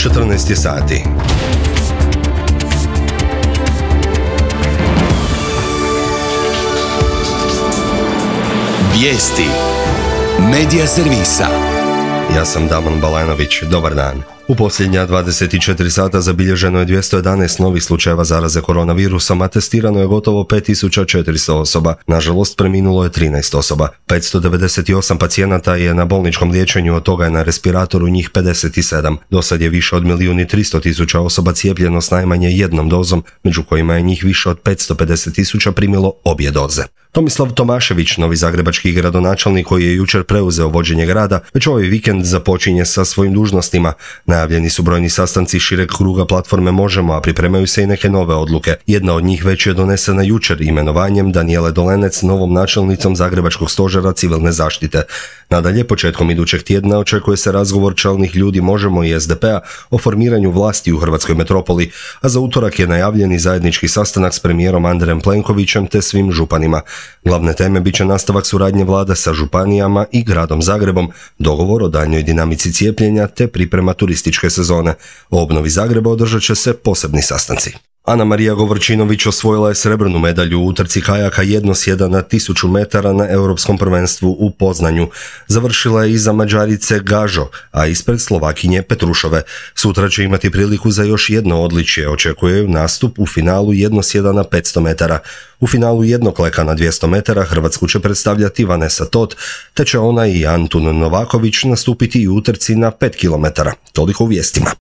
14 sati. Vijesti Medija servisa. Ja sam Damon Balanović, dobar dan. U posljednja 24 sata zabilježeno je 211 novih slučajeva zaraze koronavirusom, a testirano je gotovo 5400 osoba. Nažalost, preminulo je 13 osoba. 598 pacijenata je na bolničkom liječenju, od toga je na respiratoru njih 57. Dosad je više od 1.300.000 osoba cijepljeno s najmanje jednom dozom, među kojima je njih više od 550.000 primilo obje doze. Tomislav Tomašević, novi zagrebački gradonačelnik koji je jučer preuzeo vođenje grada, već ovaj vikend započinje sa svojim dužnostima. Najavljeni su brojni sastanci šireg kruga platforme Možemo, a pripremaju se i neke nove odluke. Jedna od njih već je donesena jučer imenovanjem Danijele Dolenec novom načelnicom Zagrebačkog stožera civilne zaštite. Nadalje, početkom idućeg tjedna očekuje se razgovor čelnih ljudi Možemo i SDP-a o formiranju vlasti u hrvatskoj metropoli, a za utorak je najavljeni zajednički sastanak s premijerom Andrejem Plenkovićem te svim županima. Glavne teme bit će nastavak suradnje vlade sa županijama i gradom Zagrebom, dogovor o daljnjoj dinamici cijepljenja te priprema turističke sezone. O obnovi Zagreba održat će se posebni sastanci. Ana Marija Govorčinović osvojila je srebrnu medalju u utrci kajaka jednosjeda na 1000 metara na Europskom prvenstvu u Poznanju. Završila je iza Mađarice Gažo, a ispred Slovakinje Petrušove. Sutra će imati priliku za još jedno odličje, očekuje ju nastup u finalu jednosjeda na 500 metara. U finalu jednokleka na 200 metara Hrvatsku će predstavljati Vanesa Tot, te će ona i Antun Novaković nastupiti i u utrci na 5 km. Toliko u vijestima.